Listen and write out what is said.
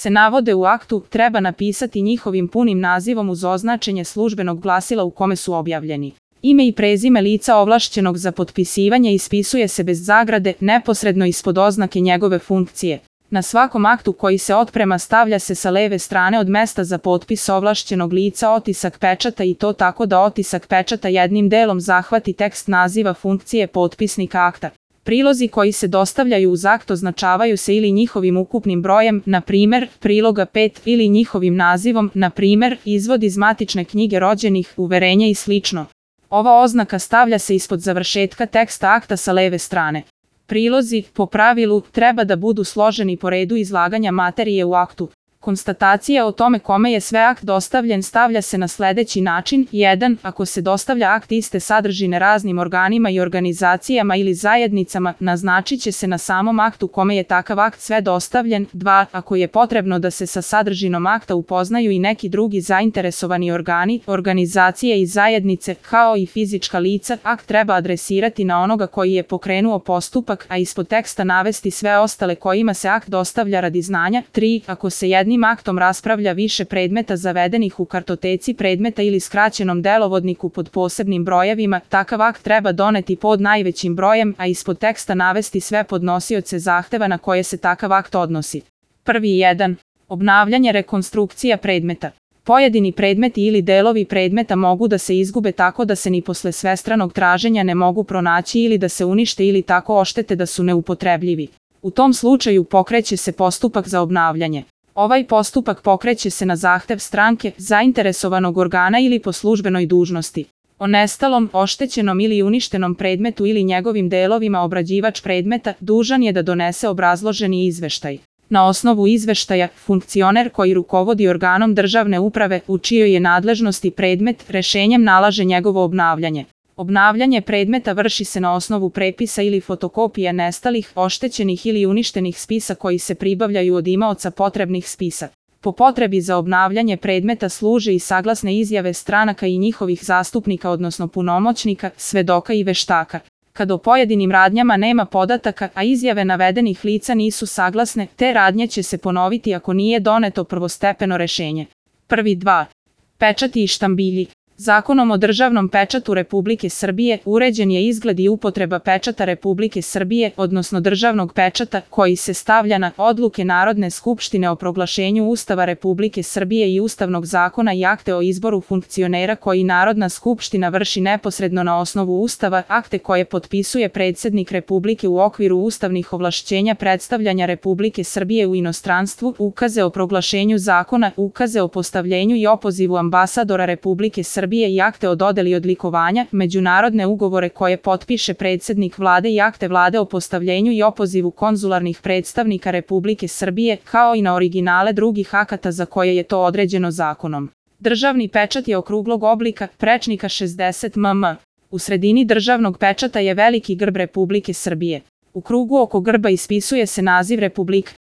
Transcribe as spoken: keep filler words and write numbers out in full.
se navode u aktu, treba napisati njihovim punim nazivom uz označenje službenog glasila u kome su objavljeni. Ime i prezime lica ovlašćenog za potpisivanje ispisuje se bez zagrade, neposredno ispod oznake njegove funkcije. Na svakom aktu koji se otprema stavlja se sa leve strane od mesta za potpis ovlašćenog lica otisak pečata i to tako da otisak pečata jednim delom zahvati tekst naziva funkcije potpisnika akta. Prilozi koji se dostavljaju uz akt označavaju se ili njihovim ukupnim brojem, na primer, priloga pet, ili njihovim nazivom, na primer, izvod iz matične knjige rođenih, uverenje i slično. Ova oznaka stavlja se ispod završetka teksta akta sa leve strane. Prilozi, po pravilu, treba da budu složeni po redu izlaganja materije u aktu. Konstatacija o tome kome je sve akt dostavljen stavlja se na sledeći način. jedan. Ako se dostavlja akt iste sadržine raznim organima i organizacijama ili zajednicama, naznačit će se na samom aktu kome je takav akt sve dostavljen. dva. Ako je potrebno da se sa sadržinom akta upoznaju i neki drugi zainteresovani organi, organizacije i zajednice, kao i fizička lica, akt treba adresirati na onoga koji je pokrenuo postupak, a ispod teksta navesti sve ostale kojima se akt dostavlja radi znanja. tri. Ako se jednim aktom raspravlja više predmeta zavedenih u kartoteci predmeta ili skraćenom delovodniku pod posebnim brojevima, takav akt treba doneti pod najvećim brojem, a ispod teksta navesti sve podnosioce zahteva na koje se takav akt odnosi. Prvi jedan. Obnavljanje rekonstrukcija predmeta. Pojedini predmeti ili delovi predmeta mogu da se izgube tako da se ni posle svestranog traženja ne mogu pronaći ili da se unište ili tako oštete da su neupotrebljivi. U tom slučaju pokreće se postupak za obnavljanje. Ovaj postupak pokreće se na zahtev stranke, zainteresovanog organa ili po službenoj dužnosti. O nestalom, oštećenom ili uništenom predmetu ili njegovim delovima obrađivač predmeta dužan je da donese obrazloženi izveštaj. Na osnovu izveštaja, funkcioner koji rukovodi organom državne uprave u čijoj je nadležnosti predmet, rešenjem nalaže njegovo obnavljanje. Obnavljanje predmeta vrši se na osnovu prepisa ili fotokopija nestalih, oštećenih ili uništenih spisa koji se pribavljaju od imaoca potrebnih spisa. Po potrebi za obnavljanje predmeta služe i saglasne izjave stranaka i njihovih zastupnika odnosno punomoćnika, svedoka i veštaka. Kad o pojedinim radnjama nema podataka, a izjave navedenih lica nisu saglasne, te radnje će se ponoviti ako nije doneto prvostepeno rešenje. Prvi dva. Pečati i štambilji. Zakonom o državnom pečatu Republike Srbije uređen je izgled i upotreba pečata Republike Srbije, odnosno državnog pečata, koji se stavlja na odluke Narodne skupštine o proglašenju Ustava Republike Srbije i Ustavnog zakona i akte o izboru funkcionera koji Narodna skupština vrši neposredno na osnovu Ustava, akte koje potpisuje predsednik Republike u okviru ustavnih ovlašćenja predstavljanja Republike Srbije u inostranstvu, ukaze o proglašenju zakona, ukaze o postavljenju i opozivu ambasadora Republike Srbije i akte o dodeli odlikovanja, međunarodne ugovore koje potpiše predsednik vlade i akte vlade o postavljenju i opozivu konzularnih predstavnika Republike Srbije, kao i na originale drugih akata za koje je to određeno zakonom. Državni pečat je okruglog oblika, prečnika šezdeset milimetra. U sredini državnog pečata je veliki grb Republike Srbije. U krugu oko grba ispisuje se naziv Republike.